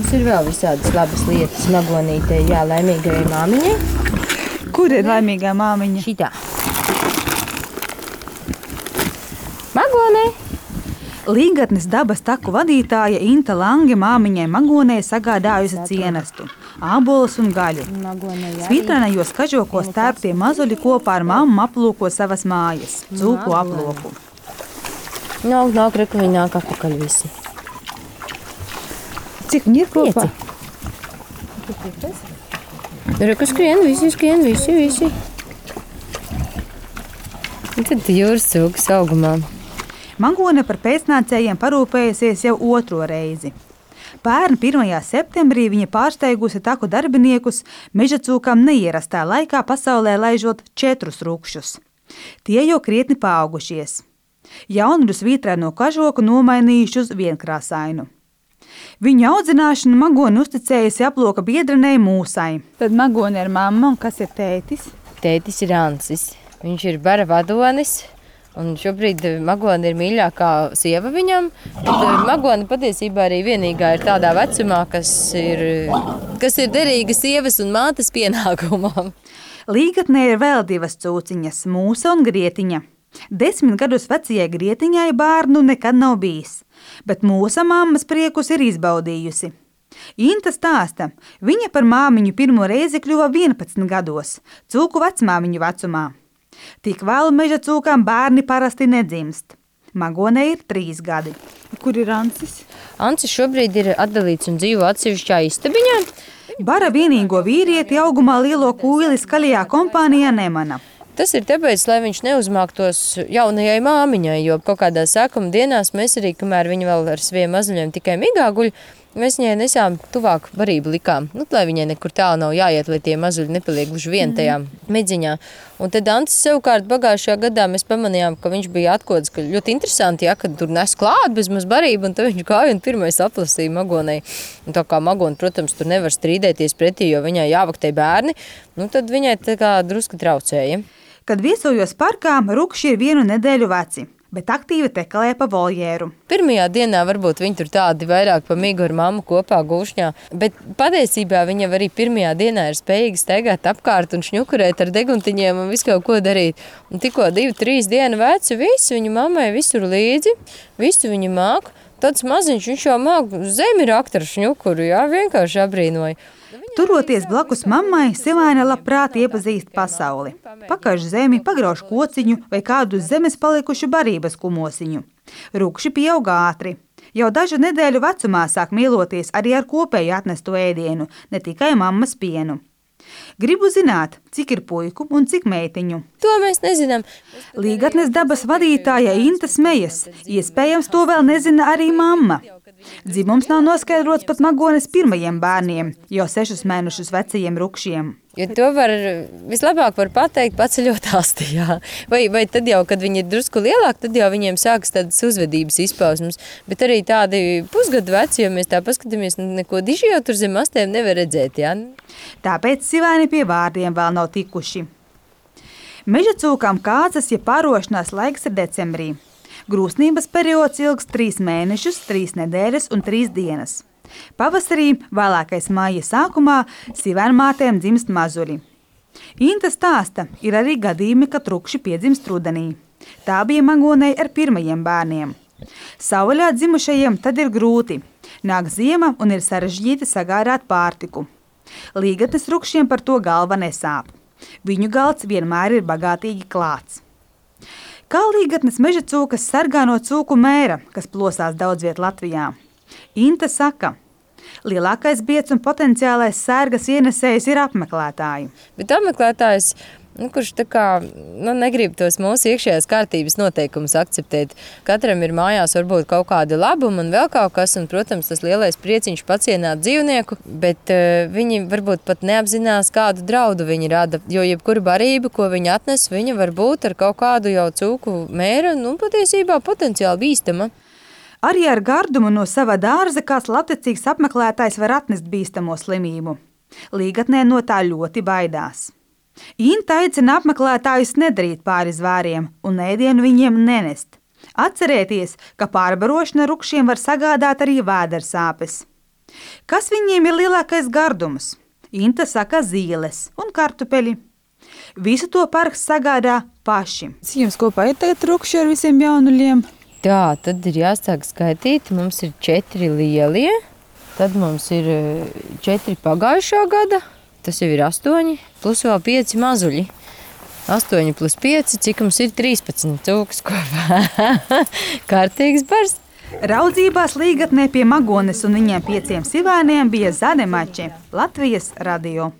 Mums ir vēl visādas labas lietas magonītei, jā, laimīgai māmiņai. Kur ir laimīgā māmiņa? Šitā. Magonē. Līgatnes dabas taku vadītāja Inta Lange māmiņai Magonē sagādājusi cienestu, ābolus un gaļu. Svītrainajos kažokos tērptie mazuļi kopā ar mammu aplūko savas mājas, cūku aploku. Nāk, reku viņi nāk apakaļ visi. Cik viņi ir kopā? 5. Reku skrien, visi. Un tad jūras cūkas augumā. Magone par pēcnācējiem parūpējusies jau 2. reizi. Pērn 1. septembrī viņa pārsteigusi taku darbiniekus meža cūkām neierastā laikā pasaulē laižot 4 rukšus. Tie jau krietni paaugušies. Jaunuļu svītraino kažoku nomainījuši uz vienkrāsainu. Viņu audzināšanu Magone uzticējusi aploka biedrenei Mūsai. Tad Magone ir mamma, un kas ir tētis? Tētis ir Ancis. Viņš ir bara vadonis. Un šobrīd Magone ir mīļākā sieva viņam. Magone patiesībā arī vienīgā ir tādā vecumā, kas ir derīga sievas un mātes pienākumam. Līgatnē ir vēl 2 cūciņas, Mūsa un Grietiņa. 10 gadus vecajai Grietiņai bērnu nekad nav bijis, bet Mūsa mammas priekus ir izbaudījusi. Inta stāsta, viņa par māmiņu pirmo reizi kļuva 11 gados, cūku vecmāmiņu vecumā. Tik vēlu meža cūkām bērni parasti nedzimst. Magonei ir 3 gadi. Kur ir Ancis? Ancis šobrīd ir atdalīts un dzīvo atsevišķā istabiņā. Bara vienīgo vīrieti augumā lielo kūli skaļajā kompānijā nemana. Tas ir tāpēc, lai viņš neuzmāktos jaunajai māmiņai, jo kaut kādās sākuma dienās mēs arī, kamēr viņa vēl ar saviem mazuļiem tikai migā guļ, mēs viņai nesām tuvāk barību likām, lai viņai nekur tālu nav jāiet, lai tie mazuļi nepaliek gluži vien tajā midziņā. Un tad Ancis savukārt pagājušajā gadā mēs pamanījām, ka viņš bija atkods, ka ļoti interesanti, ja, kad tur nes klāt bez maz barību, un tad viņš gāja un pirmais aplasīja Magonei. Un tā kā Magone, protams, tur nevar strīdēties pretī, jo viņai jāvaktē bērni, tad viņai tā kā drusku traucēja. Kad viesojos parkā, rukši ir 1 nedēļu veci, bet aktīvi tekalē pa voljēru. Pirmajā dienā varbūt viņi tur tādi vairāk pa migu ar mammu kopā gūšņā, bet patiesībā viņa arī pirmajā dienā ir spējīga staigāt apkārt un šņukurēt ar deguntiņiem un visu kaut ko darīt. Un tikko 2-3 dienu veci, visi viņa mammai visur līdzi, visu viņa māk. Tāds maziņš, viņš jau māk zemi rakt ar šņukuru, jā, vienkārši abrīnoja. Turoties blakus mammai, Sivaina labprāt iepazīst pasauli. Pakaž zemi, pagrauž kociņu vai kādu uz zemes palikušu barības kumosiņu. Rukši pieaug ātri. Jau dažu nedēļu vecumā sāk mīloties arī ar kopēju atnesto ēdienu, ne tikai mammas pienu. Gribu zināt, cik ir puiku un cik meitiņu. To mēs nezinām. Līgatnes dabas vadītāja Inta smejas. Iespējams, to vēl nezina arī mamma. Dzimums nav noskaidrots pat Magones pirmajiem bērniem, jau 6 mēnešus vecajiem rukšiem. Jo to vislabāk var pateikt paceļot asti, jā. Vai tad jau, kad viņi ir drusku lielāki, tad jau viņiem sākas tādas uzvedības izpausmes. Bet arī tādi pusgadu veci, jo mēs tā paskatāmies, neko diži jau tur zem astēm nevar redzēt, jā. Tāpēc Sivaini pie vārdiem vēl nav tikuši. Meža cūkām kāzas, ja pārošanās laiks ir decembrī. Grūsnības periods ilgs 3 mēnešus, 3 nedēļas un 3 dienas. Pavasarī, vēlākais māja sākumā, sivainmātēm dzimst mazuļi. Inta stāsta, ir arī gadījumi, kad rukši piedzimst rudenī. Tā bija Magonei ar pirmajiem bērniem. Sauvaļā dzimušajiem tad ir grūti. Nāk ziema un ir sarežģīti sagādāt pārtiku. Līgatnes rukšiem par to galva nesāp. Viņu galds vienmēr ir bagātīgi klāts. Kā līgatnes meža cūkas sargā no cūku mēra, kas plosās daudz viet Latvijā? Inta saka, lielākais biedz un potenciālais sērgas ienesējs ir apmeklētāji. Bet apmeklētājs, kurš tā kā negrib tos mūsu iekšējās kārtības noteikumus akceptēt. Katram ir mājās varbūt kaut kādi labumi un vēl kaut kas, un, protams, tas lielais prieciņš pacienāt dzīvnieku, bet viņi varbūt pat neapzinās, kādu draudu viņi rada, jo jebkura barība, ko viņi atnes, viņa var būt ar kaut kādu jau cūku mēra, patiesībā potenciāli bīstama. Arī ar gardumu no sava dārza kāds labticīgs apmeklētājs var atnest bīstamo slimību. Līgatnē no tā ļoti baidās. Inta aicina apmeklētājus nedarīt pāri zvēriem un ēdienu viņiem nenest. Atcerēties, ka pārbarošana rukšiem var sagādāt arī vēdersāpes. Kas viņiem ir lielākais gardums? Inta saka zīles un kartupeļi. Visu to parks sagādā paši. Jums kopā ir tagad trukši ar visiem jaunuļiem? Tā, tad ir jāsāk skaitīt. Mums ir 4 lielie, tad mums ir 4 pagājušā gada, tas jau ir 8, plus vēl 5 mazuļi. 8 plus 5, cik mums ir 13 cūkas kopā. Kārtīgs bars. Raudzībās Līgatnē pie Magones un viņiem 5 sivēniem bija Zane Mači, Latvijas radio.